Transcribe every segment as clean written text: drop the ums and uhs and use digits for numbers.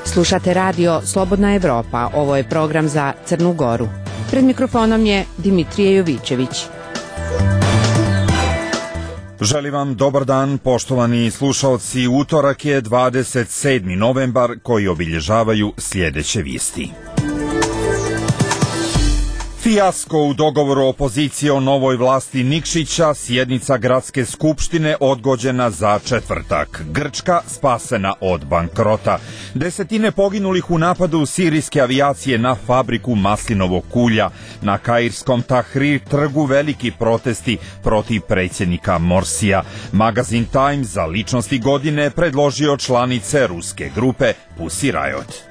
Slušate radio Slobodna Evropa. Ovo je program za Crnu Goru. Pred mikrofonom je Dimitrije Jovićević. Želim vam dobar dan, poštovani slušaoci. Utorak je 27. novembar koji obilježavaju sljedeće vijesti. Fijasko u dogovoru opozicije o novoj vlasti Nikšića, sjednica gradske skupštine odgođena za četvrtak. Grčka spasena od bankrota. Desetine poginulih u napadu sirijske avijacije na fabriku maslinovog kulja. Na kairskom Tahrir trgu veliki protesti protiv predsjednika Morsija. Magazin Time za ličnosti godine predložio članice ruske grupe Pussy Riot.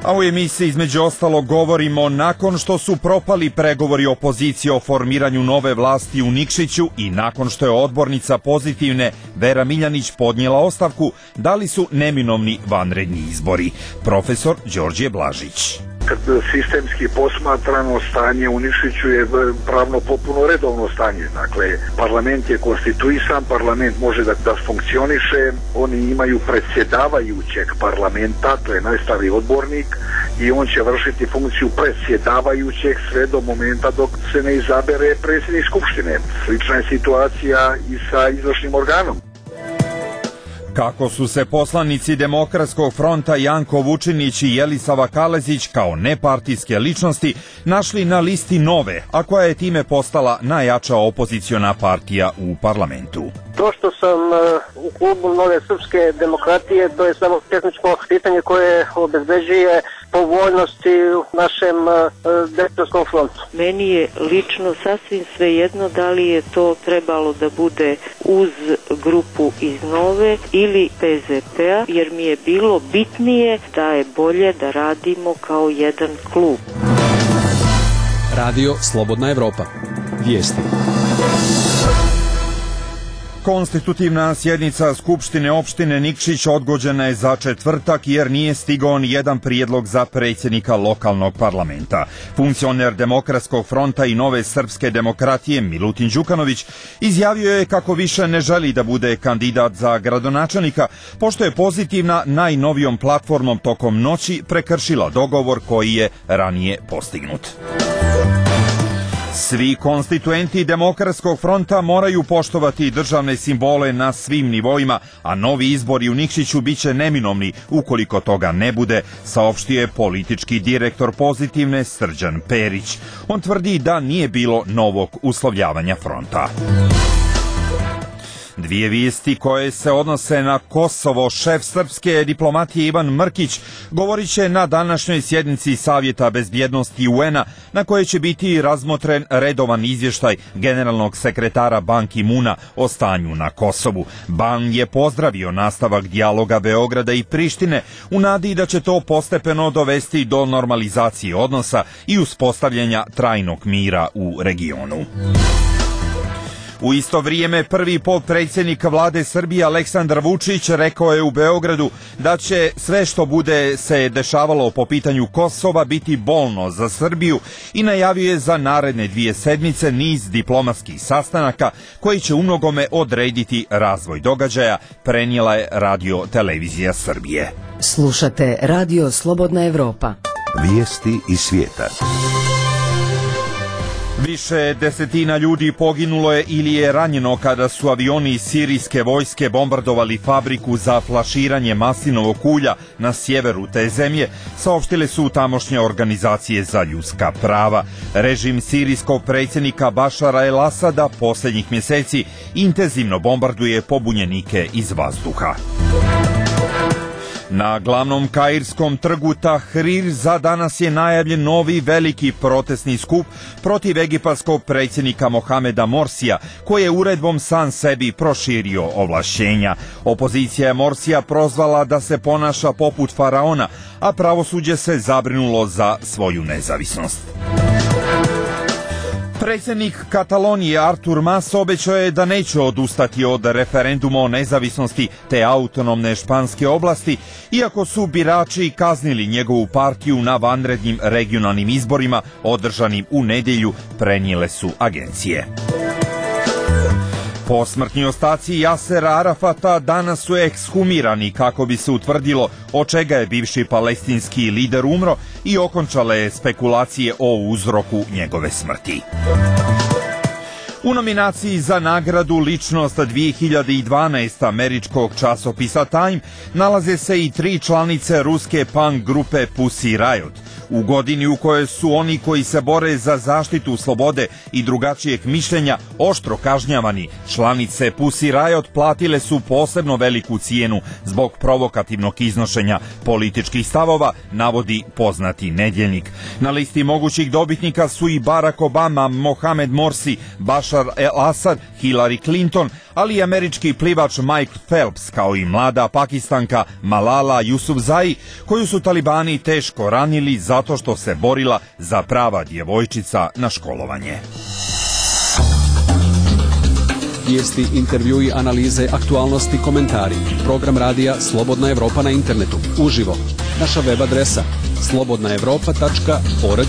A u emisiji između ostalog govorimo nakon što su propali pregovori opozicije o formiranju nove vlasti u Nikšiću i nakon što je odbornica Pozitivne Vera Miljanić podnijela ostavku, da li su neminovni vanredni izbori? Profesor Đorđe Blažić. Kad sistemski posmatrano, stanje u Nikšiću je pravno potpuno redovno stanje. Dakle, parlament je konstituisan, parlament može da funkcioniše, oni imaju predsjedavajućeg parlamenta, to je najstariji odbornik, i on će vršiti funkciju predsjedavajućeg sve do momenta dok se ne izabere predsjednik skupštine. Slična je situacija i sa izvršnim organom. Kako su se poslanici Demokratskog fronta Janko Vučinić i Jelisava Kalezić kao nepartijske ličnosti našli na listi nove, a koja je time postala najjača opoziciona partija u parlamentu. To što sam u klubu Nove srpske demokratije, to je samo tehničko pitanje koje obezbeđuje povoljnosti u našem Demokratskom frontu. Meni je lično sasvim svejedno da li je to trebalo da bude uz grupu iz Nove ili PZP-a, jer mi je bilo bitnije da je bolje da radimo kao jedan klub. Radio Slobodna Evropa. Vijesti. Konstitutivna sjednica Skupštine opštine Nikšić odgođena je za četvrtak jer nije stigao ni jedan prijedlog za predsjednika lokalnog parlamenta. Funkcioner Demokratskog fronta i Nove srpske demokratije Milutin Đukanović izjavio je kako više ne želi da bude kandidat za gradonačelnika, pošto je Pozitivna najnovijom platformom tokom noći prekršila dogovor koji je ranije postignut. Svi konstituenti Demokratskog fronta moraju poštovati državne simbole na svim nivoima, a novi izbori u Nikšiću biće neminovni ukoliko toga ne bude, saopštio je politički direktor Pozitivne Srđan Perić. On tvrdi da nije bilo novog uslovljavanja fronta. Dvije vijesti koje se odnose na Kosovo. Šef srpske diplomatije Ivan Mrkić govorit će na današnjoj sjednici Savjeta bezbjednosti UN-a, na kojoj će biti razmotren redovan izvještaj generalnog sekretara Ban Ki-muna o stanju na Kosovu. Ban je pozdravio nastavak dijaloga Beograda i Prištine u nadi da će to postepeno dovesti do normalizacije odnosa i uspostavljanja trajnog mira u regionu. U isto vrijeme prvi potpredsjednik vlade Srbije Aleksandar Vučić rekao je u Beogradu da će sve što bude se dešavalo po pitanju Kosova biti bolno za Srbiju i najavio je za naredne 2 sedmice niz diplomatskih sastanaka koji će umnogome odrediti razvoj događaja, prenijela je Radio Televizija Srbije. Slušate Radio Slobodna Evropa. Vijesti iz svijeta. Više desetina ljudi poginulo je ili je ranjeno kada su avioni sirijske vojske bombardovali fabriku za flaširanje maslinovog ulja na sjeveru te zemlje, saopštile su tamošnje organizacije za ljudska prava. Režim sirijskog predsjednika Bašara el Asada posljednjih mjeseci intenzivno bombarduje pobunjenike iz vazduha. Na glavnom kairskom trgu Tahrir za danas je najavljen novi veliki protestni skup protiv egipatskog predsjednika Mohameda Morsija, koji je uredbom sam sebi proširio ovlašćenja. Opozicija je Morsija prozvala da se ponaša poput faraona, a pravosuđe se zabrinulo za svoju nezavisnost. Predsjednik Katalonije Artur Mas obećao je da neće odustati od referenduma o nezavisnosti te autonomne španske oblasti, iako su birači kaznili njegovu partiju na vanrednim regionalnim izborima održanim u nedjelju, prenijele su agencije. Posmrtni ostaci Jasera Arafata danas su ekshumirani kako bi se utvrdilo od čega je bivši palestinski lider umro i okončale spekulacije o uzroku njegove smrti. U nominaciji za nagradu Ličnost 2012 američkog časopisa Time nalaze se i 3 članice ruske punk grupe Pussy Riot. U godini u kojoj su oni koji se bore za zaštitu slobode i drugačijeg mišljenja oštro kažnjavani, članice Pussy Riot platile su posebno veliku cijenu zbog provokativnog iznošenja političkih stavova, navodi poznati Nedjeljnik. Na listi mogućih dobitnika su i Barack Obama, Mohamed Morsi, Bashar el-Assad, Hillary Clinton, ali i američki plivač Mike Phelps, kao i mlada Pakistanka Malala Yousafzai, koju su talibani teško ranili zato što se borila za prava djevojčica na školovanje. Vijesti, intervjui, analize, aktualnosti, komentari. Program radija Slobodna Evropa na internetu. Uživo. Naša web adresa slobodnaevropa.org.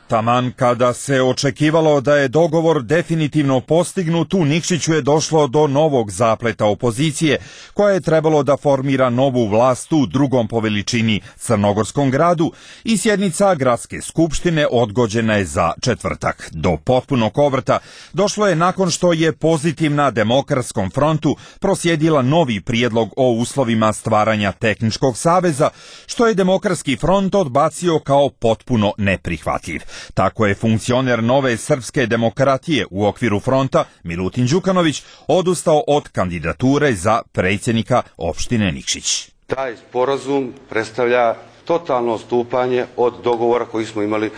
Taman kada se očekivalo da je dogovor definitivno postignut, u Nikšiću je došlo do novog zapleta opozicije, koja je trebalo da formira novu vlast u drugom po veličini crnogorskom gradu, i sjednica gradske skupštine odgođena je za četvrtak. Do potpunog obrta došlo je nakon što je Pozitivna Demokratskom frontu proslijedila novi prijedlog o uslovima stvaranja tehničkog saveza, što je Demokratski front odbacio kao potpuno neprihvatljiv. Tako je funkcioner Nove srpske demokratije u okviru fronta, Milutin Đukanović, odustao od kandidature za predsjednika opštine Nikšić. Taj sporazum predstavlja totalno odstupanje od dogovora koji smo imali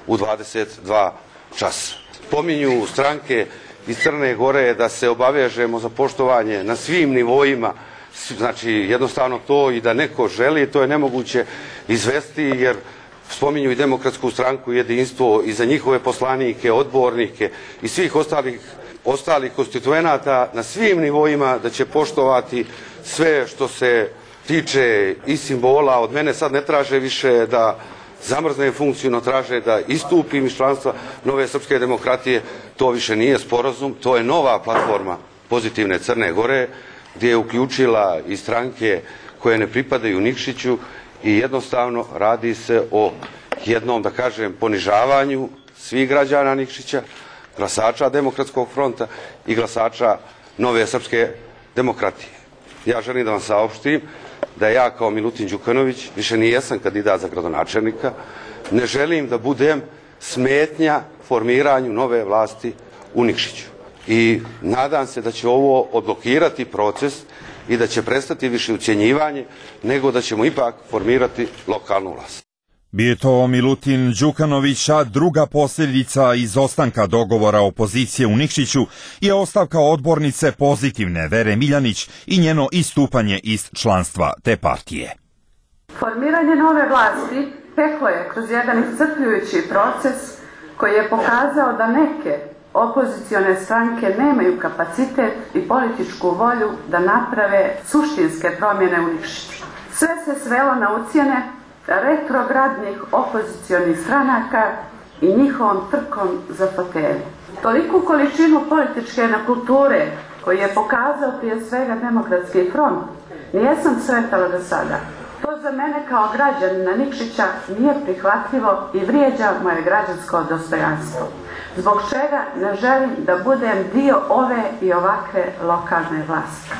u 22 časa. Pominju stranke iz Crne Gore da se obavežemo za poštovanje na svim nivoima, znači jednostavno to i da neko želi, to je nemoguće izvesti, jer spominju i Demokratsku stranku, jedinstvo i za njihove poslanike, odbornike i svih ostalih konstituenata na svim nivoima da će poštovati sve što se tiče i simbola. Od mene sad ne traže više da zamrzne funkciju, no traže da istupim iz članstva Nove srpske demokratije. To više nije sporazum, to je nova platforma Pozitivne Crne Gore, gdje je uključila i stranke koje ne pripadaju Nikšiću. I jednostavno radi se o jednom, da kažem, ponižavanju svih građana Nikšića, glasača Demokratskog fronta i glasača Nove srpske demokratije. Ja želim da vam saopštim da ja kao Milutin Đukanović više nijesam kandidat za gradonačelnika, ne želim da budem smetnja formiranju nove vlasti u Nikšiću. I nadam se da će ovo odblokirati proces i da će prestati više ucjenjivanje, nego da ćemo ipak formirati lokalnu vlast. Bio je to Milutin Đukanović, a druga posljedica izostanka dogovora opozicije u Nikšiću je ostavka odbornice Pozitivne Vere Miljanić i njeno istupanje iz članstva te partije. Formiranje nove vlasti teklo je kroz jedan iscrpljujući proces koji je pokazao da neke opozicione stranke nemaju kapacitet i političku volju da naprave suštinske promjene u Nikšiću. Sve se svelo na ucjene retrogradnih opozicionih stranaka i njihovom trkom za fotelju. Toliku količinu političke nekulture koju je pokazao prije svega Demokratski front nijesam sretala do sada. To za mene kao građanina Nikšića nije prihvatljivo i vrijeđa moje građansko dostojanstvo, zbog čega ne želim da budem dio ove i ovakve lokalne vlasti.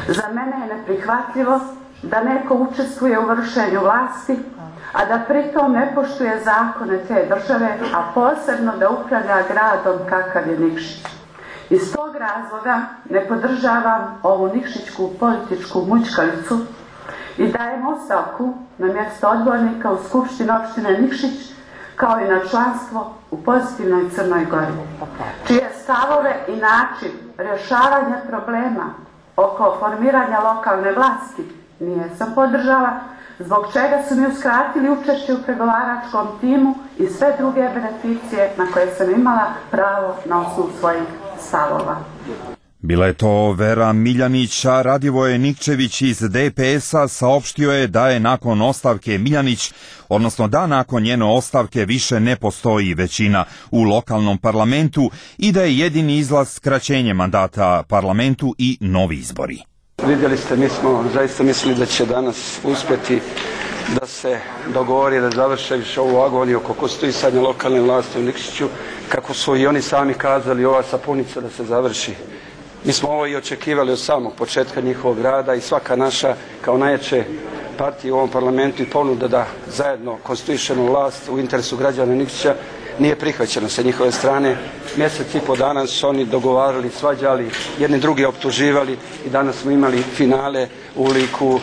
Za mene je neprihvatljivo da neko učestvuje u vršenju vlasti, a da pritom ne poštuje zakone te države, a posebno da upravlja gradom kakav je Nikšić. Iz tog razloga ne podržavam ovu nikšićku političku mućkalicu i dajem ostavku na mjesto odbornika u Skupštini opštine Nikšić, kao i na članstvo u Pozitivnoj Crnoj Gori, čije stavove i način rješavanja problema oko formiranja lokalne vlasti nijesam podržala, zbog čega su mi uskratili učešće u pregovaračkom timu i sve druge beneficije na koje sam imala pravo na osnovu svojih stavova. Bila je to Vera Miljanić, a Radivoje Nikčević iz DPS-a saopštio je da je nakon ostavke Miljanić, odnosno da nakon njene ostavke više ne postoji većina u lokalnom parlamentu i da je jedini izlaz skraćenje mandata parlamentu i novi izbori. Vidjeli ste, mi smo zaista mislili da će danas uspjeti da se dogovori, da završe više ovu agoniju oko konstituisanja lokalne vlasti u Nikšiću, kako su i oni sami kazali, ova sapunica da se završi. Mi smo ovo i očekivali od samog početka njihovog rada i svaka naša kao najjače partije u ovom parlamentu i ponuda da zajedno konstituišemo vlast u interesu građana Nikšića nije prihvaćeno sa njihove strane. Mjesec i po dana su oni dogovarali, svađali, jedni drugi optuživali i danas smo imali finale u liku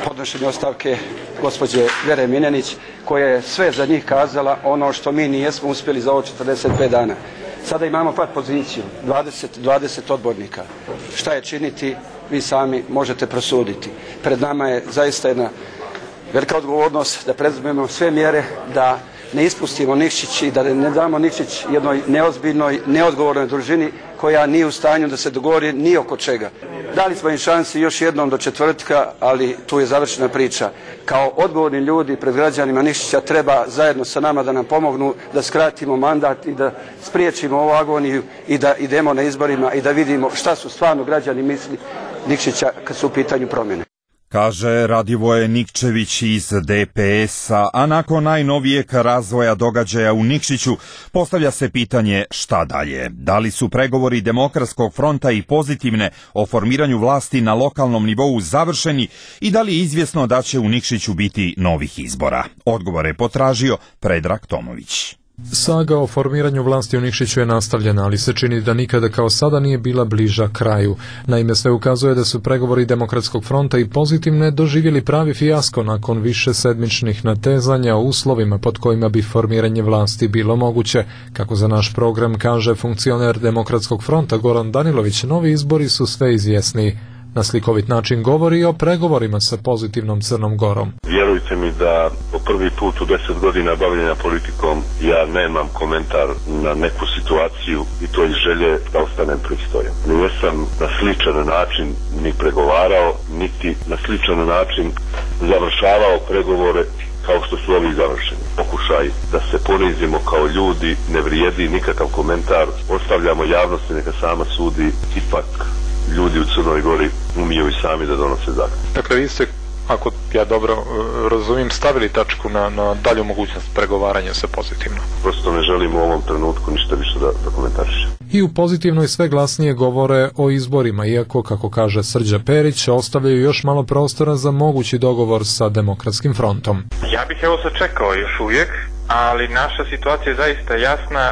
podnošenja ostavke gospođe Vere Miljanić, koja je sve za njih kazala ono što mi nijesmo uspjeli za ovo 45 dana. Sada imamo pad poziciju, 20 odbornika. Šta je činiti, vi sami možete prosuditi. Pred nama je zaista jedna velika odgovornost da preduzmemo sve mjere da ne ispustimo Nikšić i da ne damo Nikšić jednoj neozbiljnoj, neodgovornoj družini koja nije u stanju da se dogovori ni oko čega. Dali smo im šansi još jednom do četvrtka, ali tu je završena priča. Kao odgovorni ljudi pred građanima Nikšića treba zajedno sa nama da nam pomognu da skratimo mandat i da spriječimo ovu agoniju i da idemo na izborima i da vidimo šta su stvarno građani misli Nikšića kad su u pitanju promjene. Kaže Radivoje Nikčević iz DPS-a, a nakon najnovijeg razvoja događaja u Nikšiću postavlja se pitanje šta dalje. Da li su pregovori Demokratskog fronta i Pozitivne o formiranju vlasti na lokalnom nivou završeni i da li je izvjesno da će u Nikšiću biti novih izbora? Odgovor je potražio Predrag Tomović. Saga o formiranju vlasti u Nikšiću je nastavljena, ali se čini da nikada kao sada nije bila bliža kraju. Naime, sve ukazuje da su pregovori Demokratskog fronta i Pozitivne doživjeli pravi fijasko nakon više sedmičnih natezanja o uslovima pod kojima bi formiranje vlasti bilo moguće. Kako za naš program kaže funkcioner Demokratskog fronta Goran Danilović, novi izbori su sve izvjesniji. Na slikovit način govori o pregovorima sa Pozitivnom Crnom Gorom. Vjerujte mi da po prvi put u 10 godina bavljenja politikom ja nemam komentar na neku situaciju i to iz želje da ostanem pristojan. Nisam na sličan način ni pregovarao, niti na sličan način završavao pregovore kao što su ovi završeni. Pokušaj da se ponizimo kao ljudi ne vrijedi nikakav komentar, ostavljamo javnosti neka sama sudi, ipak ljudi u Crnoj Gori umiju i sami da donose zakon. Dakle, vi ste, ako ja dobro razumijem, stavili tačku na dalju mogućnost pregovaranja sa Pozitivno. Prosto ne želim u ovom trenutku ništa više da komentarišem. I u Pozitivnoj sve glasnije govore o izborima, iako, kako kaže Srđa Perić, ostavljaju još malo prostora za mogući dogovor sa Demokratskim frontom. Ja bih evo sačekao još uvijek, ali naša situacija je zaista jasna.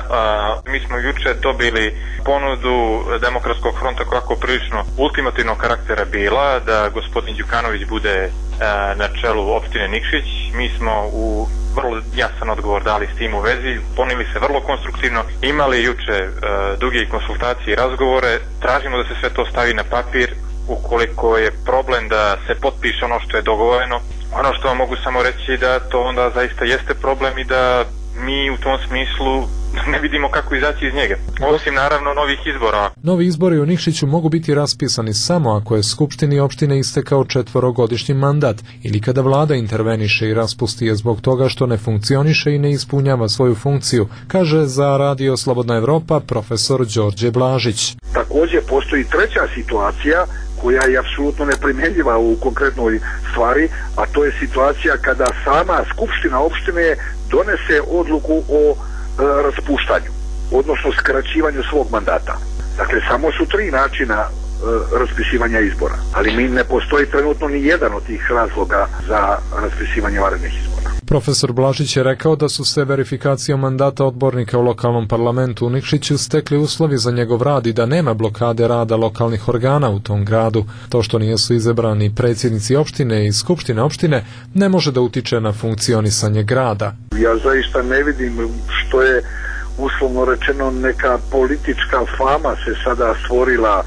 Mi smo juče dobili ponudu Demokratskog fronta kako prilično ultimativnog karaktera bila da gospodin Đukanović bude na čelu opštine Nikšić. Mi smo u vrlo jasan odgovor dali s tim u vezi, ponijeli se vrlo konstruktivno, imali juče duge konsultacije i razgovore, tražimo da se sve to stavi na papir. Ukoliko je problem da se potpiše ono što je dogovoreno, ono što vam mogu samo reći da to onda zaista jeste problem i da mi u tom smislu ne vidimo kako izaći iz njega. Osim naravno novih izbora. Novi izbori u Nikšiću mogu biti raspisani samo ako je Skupštini opštine istekao 4-godišnji mandat ili kada vlada interveniše i raspusti je zbog toga što ne funkcioniše i ne ispunjava svoju funkciju, kaže za Radio Slobodna Evropa profesor Đorđe Blažić. Također postoji treća situacija koja je apsolutno neprimjenjiva u konkretnoj stvari, a to je situacija kada sama Skupština opštine donese odluku o raspuštanju, odnosno skraćivanju svog mandata. Dakle, samo su 3 načina raspisivanja izbora, ali mi ne postoji trenutno ni jedan od tih razloga za raspisivanje vanrednih izbora. Profesor Blažić je rekao da su se verifikacijom mandata odbornika u lokalnom parlamentu u Nikšiću stekli uslovi za njegov rad i da nema blokade rada lokalnih organa u tom gradu. To što nisu izabrani predsjednici opštine i skupštine opštine ne može da utiče na funkcionisanje grada. Ja zaista ne vidim što je uslovno rečeno neka politička fama se sada stvorila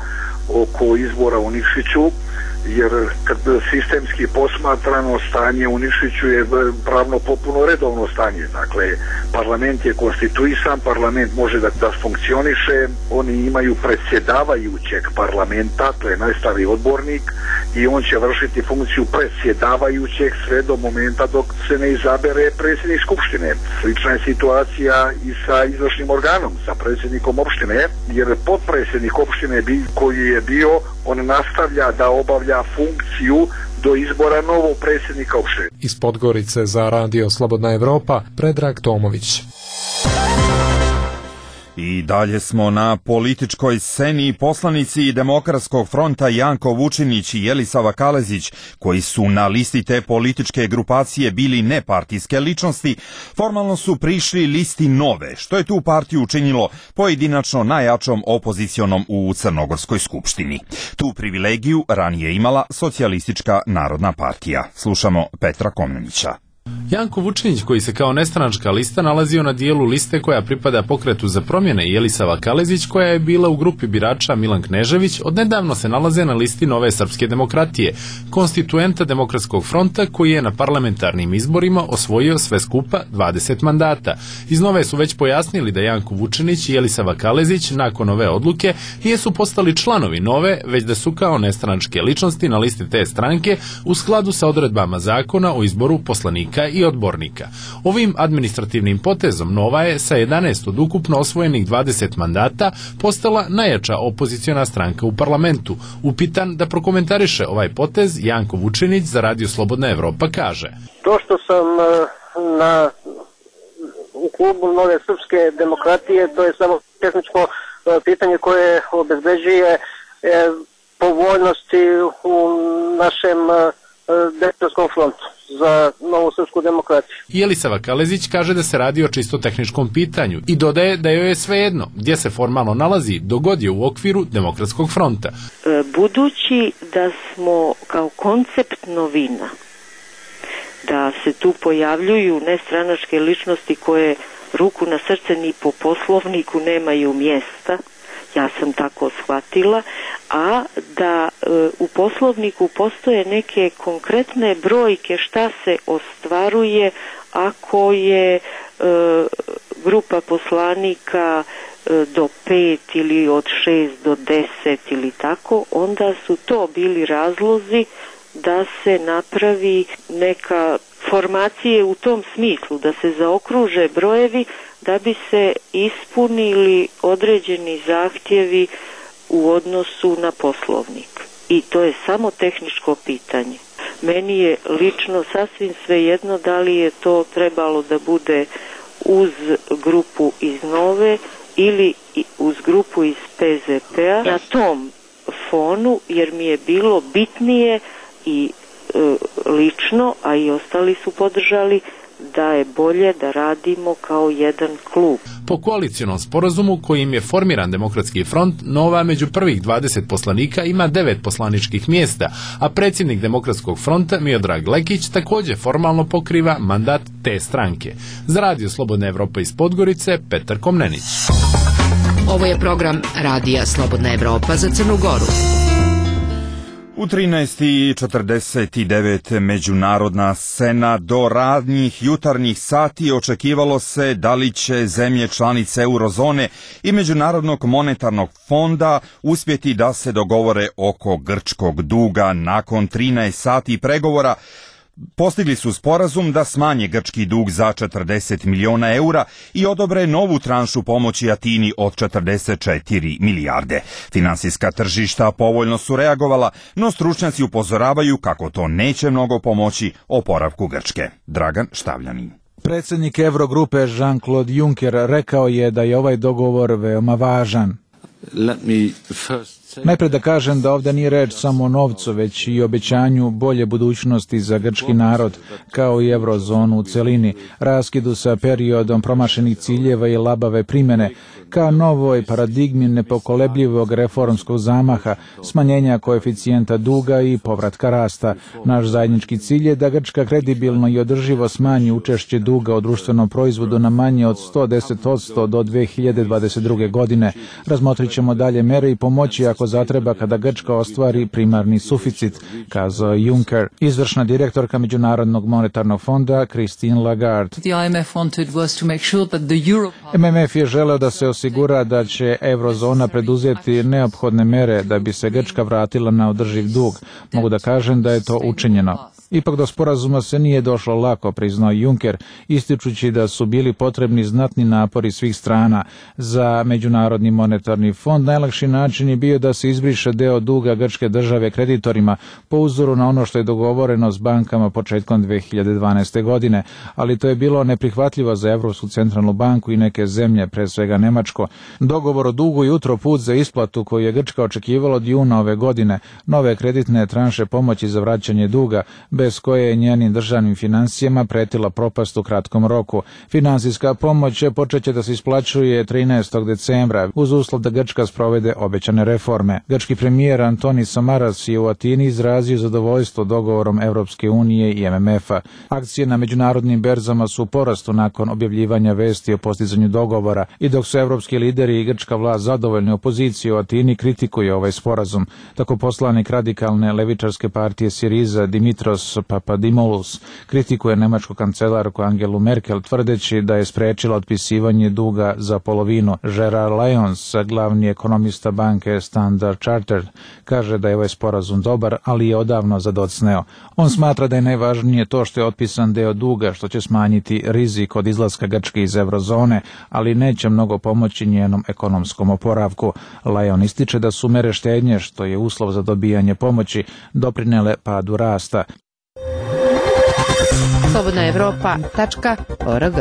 oko izbora u Nikšiću, jer kad sistemski posmatrano stanje u Nikšiću je pravno potpuno redovno stanje. Dakle, parlament je konstituisan, parlament može da funkcioniše, oni imaju predsjedavajućeg parlamenta, to je najstariji odbornik, i on će vršiti funkciju predsjedavajućeg sve do momenta dok se ne izabere predsjednik skupštine. Slična je situacija i sa izvršnim organom, sa predsjednikom opštine, jer potpredsjednik opštine koji je bio, on nastavlja da obavlja funkciju do izbora novog predsjednika opštine. Iz Podgorice za Radio Slobodna Evropa, Predrag Tomović. I dalje smo na političkoj sceni. Poslanici Demokratskog fronta Janko Vučinić i Jelisava Kalezić, koji su na listi te političke grupacije bili nepartijske ličnosti, formalno su prišli listi Nove, što je tu partiju učinilo pojedinačno najjačom opozicionom u Crnogorskoj skupštini. Tu privilegiju ranije imala Socijalistička narodna partija. Slušamo Petra Komnenića. Janko Vučinić, koji se kao nestranačka lista nalazio na dijelu liste koja pripada Pokretu za promjene, i Jelisava Kalezić, koja je bila u grupi birača Milan Knežević, odnedavno se nalaze na listi Nove srpske demokratije, konstituenta Demokratskog fronta, koji je na parlamentarnim izborima osvojio sve skupa 20 mandata. Iz Nove su već pojasnili da Janko Vučinić i Jelisava Kalezić nakon ove odluke nisu postali članovi Nove, već da su kao nestranačke ličnosti na listi te stranke u skladu sa odredbama zakona o izboru poslanika i odbornika. Ovim administrativnim potezom Nova je sa 11 od ukupno osvojenih 20 mandata postala najjača opoziciona stranka u parlamentu. Upitan da prokomentariše ovaj potez, Janko Vučinić za Radio Slobodna Evropa kaže: To što sam u klubu Nove srpske demokratije, to je samo tehničko pitanje koje obezbeđuje povoljnosti u našem Demokratskom frontu za Novu srpsku demokratiju. Jelisava Kalezić kaže da se radi o čisto tehničkom pitanju i dodaje da joj je svejedno gdje se formalno nalazi dok god je u okviru Demokratskog fronta. Budući da smo kao koncept novina, da se tu pojavljuju nestranačke ličnosti koje ruku na srce ni po poslovniku nemaju mjesta, ja sam tako shvatila, a da u poslovniku postoje neke konkretne brojke šta se ostvaruje ako je grupa poslanika do 5 ili od 6 do 10 ili tako, onda su to bili razlozi da se napravi neka formacije u tom smislu, da se zaokruže brojevi da bi se ispunili određeni zahtjevi u odnosu na poslovnik. I to je samo tehničko pitanje. Meni je lično sasvim svejedno da li je to trebalo da bude uz grupu iz Nove ili uz grupu iz PZP-a na tom fonu, jer mi je bilo bitnije i lično, a i ostali su podržali, da je bolje da radimo kao jedan klub. Po koalicionom sporazumu kojim je formiran Demokratski front, Nova među prvih 20 poslanika ima 9 poslaničkih mjesta, a predsjednik Demokratskog fronta Miodrag Lekić također formalno pokriva mandat te stranke. Za Radio Slobodna Evropa iz Podgorice, Petar Komnenić. Ovo je program Radija Slobodna Evropa za Crnu Goru. U 13:49 međunarodna scena. Do radnjih jutarnjih sati očekivalo se da li će zemlje članice eurozone i Međunarodnog monetarnog fonda uspjeti da se dogovore oko grčkog duga. Nakon 13 sati pregovora postigli su sporazum da smanje grčki dug za 40 miliona eura i odobre novu tranšu pomoći Atini od 44 milijarde. Finansijska tržišta povoljno su reagovala, no stručnjaci upozoravaju kako to neće mnogo pomoći oporavku Grčke. Dragan Štavljanin. Predsjednik Eurogrupe Jean-Claude Juncker rekao je da je ovaj dogovor veoma važan. Najprije da kažem da ovdje nije reč samo o novcu, već i obećanju bolje budućnosti za grčki narod, kao i eurozonu u celini, raskidu sa periodom promašenih ciljeva i labave primjene, ka novoj paradigmi nepokolebljivog reformskog zamaha, smanjenja koeficijenta duga i povratka rasta. Naš zajednički cilj je da Grčka kredibilno i održivo smanji učešće duga u društvenom proizvodu na manje od 110% do 2022. godine. Razmotrit ćemo dalje mere i pomoći ako zatreba kada Grčka ostvari primarni suficit, kazao Juncker. Izvršna direktorka Međunarodnog monetarnog fonda Christine Lagarde. MMF je želeo da se osigura da će eurozona preduzeti neophodne mere da bi se Grčka vratila na održiv dug. Mogu da kažem da je to učinjeno. Ipak do sporazuma se nije došlo lako, priznao Juncker, ističući da su bili potrebni znatni napori svih strana. Za Međunarodni monetarni fond najlakši način je bio da se izbriše deo duga grčke države kreditorima po uzoru na ono što je dogovoreno s bankama početkom 2012. godine, ali to je bilo neprihvatljivo za Evropsku centralnu banku i neke zemlje, pre svega Nemačko. Dogovor o dugu je utro put za isplatu koju je Grčka očekivala od juna ove godine, nove kreditne tranše pomoći za vraćanje duga, bez koje je njenim državnim financijama pretila propast u kratkom roku. Finansijska pomoć počeće da se isplaćuje 13. decembra uz uslov da Grčka sprovede obećane reforme. Grčki premijer Antonis Samaras je u Atini izrazio zadovoljstvo dogovorom Evropske unije i MMF-a. Akcije na međunarodnim berzama su u porastu nakon objavljivanja vesti o postizanju dogovora i dok su evropski lideri i grčka vlast zadovoljni, opozicija u Atini kritikuje ovaj sporazum. Tako poslanik radikalne levičarske partije Siriza Dimitros Papadimoulos kritikuje nemačku kancelarku Angelu Merkel tvrdeći da je sprečila otpisivanje duga za polovinu. Gerard Lyons, glavni ekonomista banke Standard Chartered, kaže da je ovaj sporazum dobar, ali je odavno zadocneo. On smatra da je najvažnije to što je otpisan deo duga, što će smanjiti rizik od izlaska Grčke iz eurozone, ali neće mnogo pomoći njenom ekonomskom oporavku. Lyon ističe da su mere štednje, što je uslov za dobijanje pomoći, doprinele padu rasta. slobodnaevropa.org.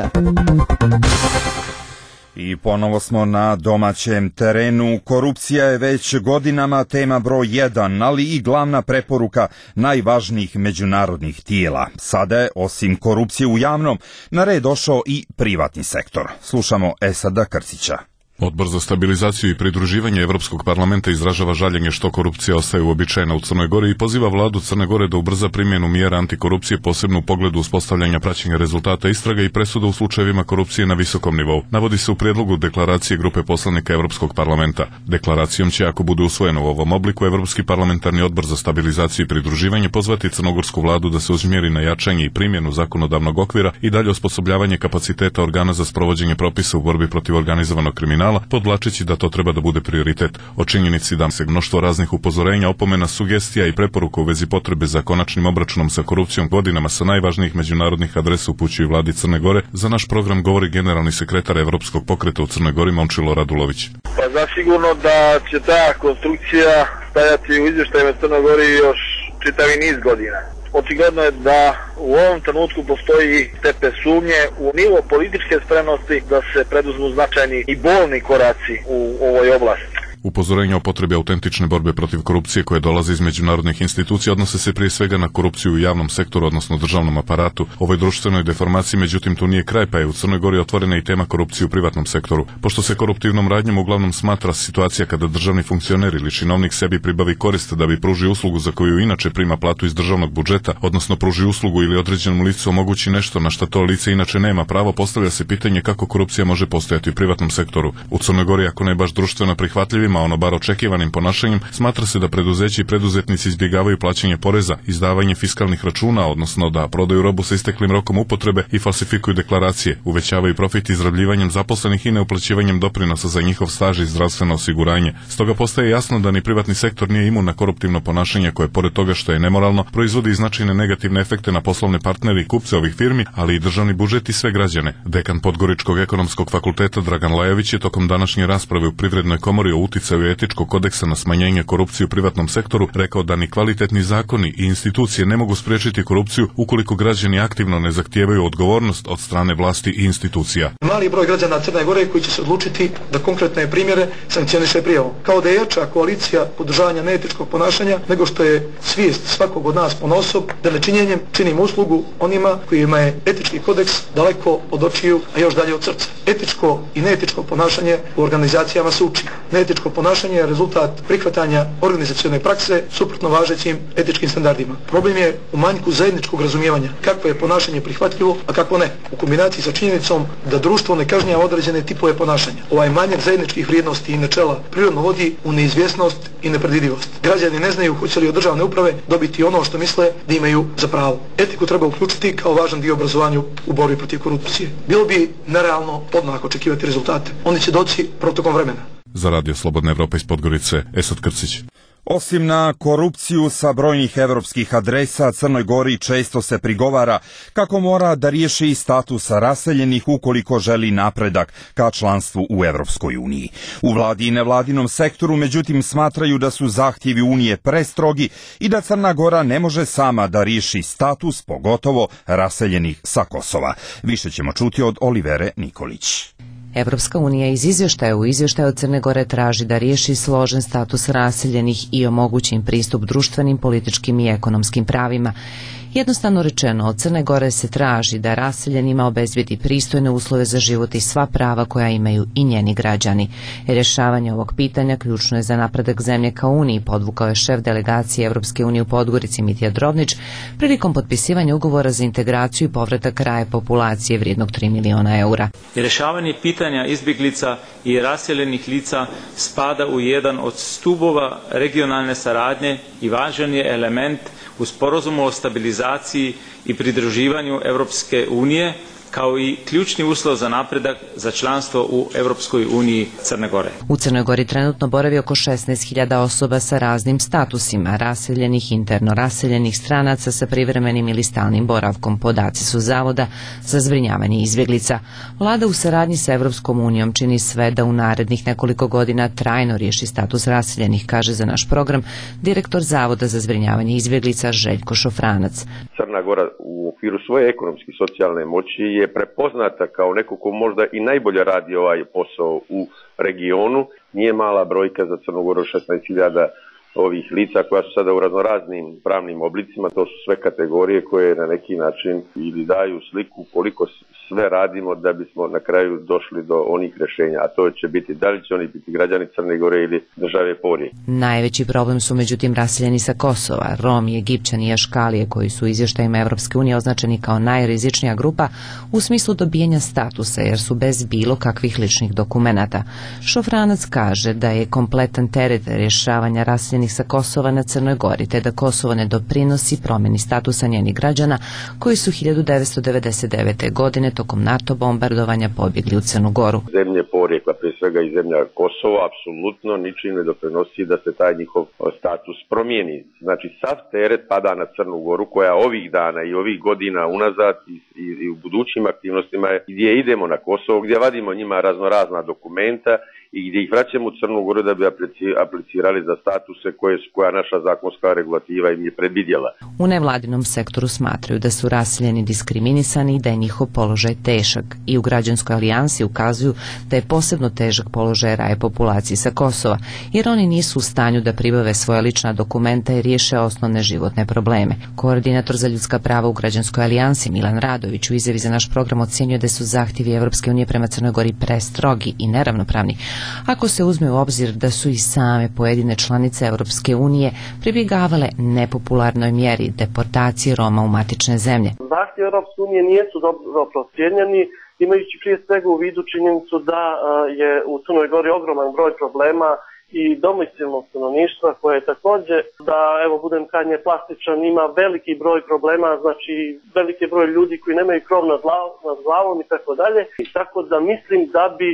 I ponovo smo na domaćem terenu. Korupcija je već godinama tema broj 1, ali i glavna preporuka najvažnijih međunarodnih tijela. Sada je, osim korupcije u javnom, na red došao i privatni sektor. Slušamo Esada Krcića. Odbor za stabilizaciju i pridruživanje Evropskog parlamenta izražava žaljenje što korupcija ostaje uobičajena u Crnoj Gori i poziva vladu Crne Gore da ubrza primjenu mjera antikorupcije, posebno u pogledu uspostavljanja praćenja rezultata istraga i presuda u slučajevima korupcije na visokom nivou. Navodi se u prijedlogu deklaracije grupe poslanika Evropskog parlamenta. Deklaracijom će, ako bude usvojeno u ovom obliku, Evropski parlamentarni odbor za stabilizaciju i pridruživanje pozvati crnogorsku vladu da se usmjeri na jačanje i primjenu zakonodavnog okvira i dalje osposobljavanje kapaciteta organa za sprovođenje propisa u borbi protiv organizovanog kriminala, podvlačeći da to treba da bude prioritet. O činjenici da se mnoštvo raznih upozorenja, opomena, sugestija i preporuka u vezi potrebe za konačnim obračunom sa korupcijom godinama sa najvažnijih međunarodnih adresa upućuju vladi Crne Gore, za naš program govori generalni sekretar Evropskog pokreta u Crnoj Gori Momčilo Radulović. Pa zasigurno da će ta konstrukcija stajati u izvještajima Crnoj Gori još čitavi niz godina. Očigledno je da u ovom trenutku postoji stepen sumnje u nivo političke spremnosti da se preduzmu značajni i bolni koraci u ovoj oblasti. Upozorenja o potrebi autentične borbe protiv korupcije koje dolaze iz međunarodnih institucija odnose se prije svega na korupciju u javnom sektoru, odnosno državnom aparatu. Ovoj društvenoj deformaciji, međutim, tu nije kraj, pa je u Crnoj Gori otvorena i tema korupcije u privatnom sektoru. Pošto se koruptivnom radnjom uglavnom smatra situacija kada državni funkcioner ili činovnik sebi pribavi korist da bi pružio uslugu za koju inače prima platu iz državnog budžeta, odnosno pruži uslugu ili određenom licu omogući nešto na što to lice inače nema pravo, postavlja se pitanje kako korupcija može postojati u privatnom sektoru. U Crnoj Gori, ako ne baš društveno prihvatljivim, a ono bar očekivanim ponašanjem, smatra se da preduzeći i preduzetnici izbjegavaju plaćanje poreza, izdavanje fiskalnih računa, odnosno da prodaju robu sa isteklim rokom upotrebe i falsifikuju deklaracije, uvećavaju profit izrabljivanjem zaposlenih i neuplaćivanjem doprinosa za njihov staž i zdravstveno osiguranje. Stoga postaje jasno da ni privatni sektor nije imun na koruptivno ponašanje koje, pored toga što je nemoralno, proizvodi i značajne negativne efekte na poslovne partnere i kupce ovih firmi, ali i državni budžet i sve građane. Dekan Podgoričkog ekonomskog fakulteta Dragan Lajović je tokom današnje rasprave u Privrednoj komori o uticaju etičkog kodeksa na smanjenje korupcije u privatnom sektoru rekao da ni kvalitetni zakoni i institucije ne mogu spriječiti korupciju ukoliko građani aktivno ne zahtijevaju odgovornost od strane vlasti i institucija. Mali broj građana Crne Gore koji će se odlučiti da konkretne primjere sankcioniše prijavom. Kao da je jača koalicija podržavanja neetičkog ponašanja nego što je svijest svakog od nas ponosob da nečinjenjem činimo uslugu onima kojima je etički kodeks daleko od očiju, a još dalje od srca. Etičko i neetičko ponašanje u organizacijama se uči. Neetičko ponašanje je rezultat prihvatanja organizacione prakse suprotno važećim etičkim standardima. Problem je u manjku zajedničkog razumijevanja kakvo je ponašanje prihvatljivo, a kakvo ne, u kombinaciji sa činjenicom da društvo ne kažnjava određene tipove ponašanja. Ovaj manjak zajedničkih vrijednosti i načela prirodno vodi u neizvjesnost i nepredvidivost. Građani ne znaju hoće li od državne uprave dobiti ono što misle da imaju za pravo. Etiku treba uključiti kao važan dio obrazovanju u borbi protiv korupcije. Bilo bi nerealno odmah očekivati rezultate. Oni će doći protokom vremena. Za Radio Slobodna Evropa iz Podgorice, Esad Krcić. Osim na korupciju sa brojnih evropskih adresa, Crnoj Gori često se prigovara kako mora da riješi status raseljenih ukoliko želi napredak ka članstvu u Evropskoj uniji. U vladi i nevladinom sektoru, međutim, smatraju da su zahtjevi Unije prestrogi i da Crna Gora ne može sama da riješi status, pogotovo raseljenih sa Kosova. Više ćemo čuti od Olivere Nikolić. Evropska unija iz izvještaja u izvještaju od Crne Gore traži da riješi složen status raseljenih i omogući im pristup društvenim, političkim i ekonomskim pravima. Jednostavno rečeno, od Crne Gore se traži da raseljenima obezbijedi pristojne uslove za život i sva prava koja imaju i njeni građani. Rješavanje ovog pitanja ključno je za napredak zemlje ka Uniji, podvukao je šef delegacije Evropske unije u Podgorici Mitja Drobnić prilikom potpisivanja ugovora za integraciju i povratak kraja populacije vrijednog 3 miliona eura. Rješavanje pitanja izbjeglica i raseljenih lica spada u jedan od stubova regionalne saradnje i važan je element u sporazumu o stabilizaciji i pridruživanju Europske unije, kao i ključni uslov za napredak za članstvo u Europskoj uniji Crne Gore. U Crnoj Gori trenutno boravi oko 16.000 osoba sa raznim statusima, raseljenih, interno raseljenih, stranaca sa privremenim ili stalnim boravkom. Podaci su Zavoda za zbrinjavanje izbjeglica. Vlada u saradnji sa Europskom unijom čini sve da u narednih nekoliko godina trajno riješi status raseljenih, kaže za naš program direktor Zavoda za zbrinjavanje izbjeglica Željko Šofranac. Crna Gora u okviru svoje ekonomske i socijalne moći je prepoznata kao neko ko možda i najbolje radi ovaj posao u regionu. Nije mala brojka za Crnu Goru 16.000 ovih lica koja su sada u raznoraznim pravnim oblicima. To su sve kategorije koje na neki način ili daju sliku koliko sve radimo da bismo na kraju došli do onih rješenja, a to će biti da li će oni biti građani Crne Gore ili države Porije. Najveći problem su međutim raseljeni sa Kosova, Romi, Egipćani i Aškalije koji su u izvještajima Evropske unije označeni kao najrizičnija grupa u smislu dobijanja statusa jer su bez bilo kakvih ličnih dokumenata. Šofranac kaže da je kompletan teret rješavanja raseljenih sa Kosova na Crnoj Gori te da Kosovo ne doprinosi promjeni statusa njenih građana koji su 1999. godine tokom NATO bombardovanja pobjegli u Crnu Goru. Zemlje porijekla, prije svega i zemlja Kosovo, apsolutno ničim ne doprinosi da se taj njihov status promijeni. Znači, sav teret pada na Crnu Goru koja ovih dana i ovih godina unazad i u budućim aktivnostima gdje idemo na Kosovo, gdje vadimo njima raznorazna dokumenta i gdje ih vraćamo u Crnu Goru da bi aplicirali za statuse koja naša zakonska regulativa im je predvidjela. U nevladinom sektoru smatraju da su raseljeni diskriminisani i da je njihov položaj težak i u građanskoj alijansi ukazuju da je posebno težak položaj raje populacije sa Kosova, jer oni nisu u stanju da pribave svoja lična dokumenta i riješe osnovne životne probleme. Koordinator za ljudska prava u građanskoj alijansi Milan Radović u izjavi za naš program ocjenjuje da su zahtjevi Evropske unije prema Crnoj Gori prestrogi i neravnopravni, ako se uzme u obzir da su i same pojedine članice Evropske unije pribjegavale nepopularnoj mjeri deportacije Roma u matične zemlje. Zahtjevi Evropske unije nisu dobro procijenjeni, imajući prije svega u vidu činjenicu da je u Crnoj Gori ogroman broj problema i domicilnog stanovništva koje je također, da evo budem krajnje plastičan, ima veliki broj problema, znači veliki broj ljudi koji nemaju krov nad glavom i tako dalje. I tako da mislim da bi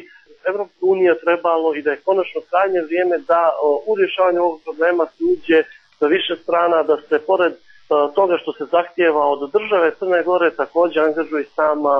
Evropska unija trebalo i da je konačno krajnje vrijeme da u rješavanju ovog problema se uđe sa više strana, da se pored toga što se zahtijeva od države Crne Gore također angažuje sama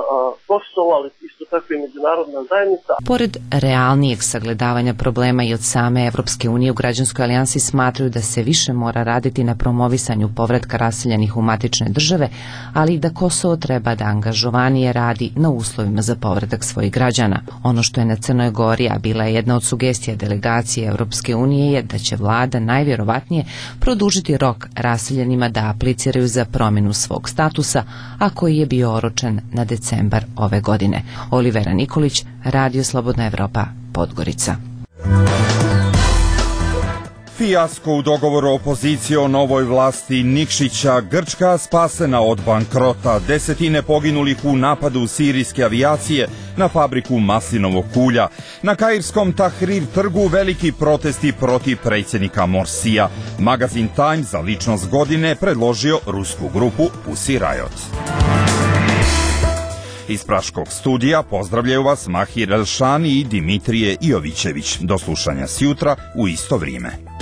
Kosovo, ali isto tako i međunarodna zajednica. Pored realnijeg sagledavanja problema i od same Evropske unije u građanskoj alijansi smatraju da se više mora raditi na promovisanju povratka raseljenih u matične države, ali i da Kosovo treba da angažovanije radi na uslovima za povratak svojih građana. Ono što je na Crnoj Gori, a bila je jedna od sugestija delegacije Evropske unije, je da će vlada najvjerovatnije produžiti rok raseljenima da apliciraju za promjenu svog statusa, a koji je bio oročen na decembar ove godine. Olivera Nikolić, Radio Slobodna Evropa, Podgorica. Fijasko u dogovoru opozicije o novoj vlasti Nikšića, Grčka spasena od bankrota, desetine poginulih u napadu sirijske avijacije na fabriku maslinovog ulja. Na kairskom Tahrir trgu veliki protesti protiv predsjednika Morsija. Magazin Time za ličnost godine predložio rusku grupu Pussy Riot. Iz Praškog studija pozdravljaju vas Mahir Elšani i Dimitrije Jovićević. Do slušanja sjutra u isto vrijeme.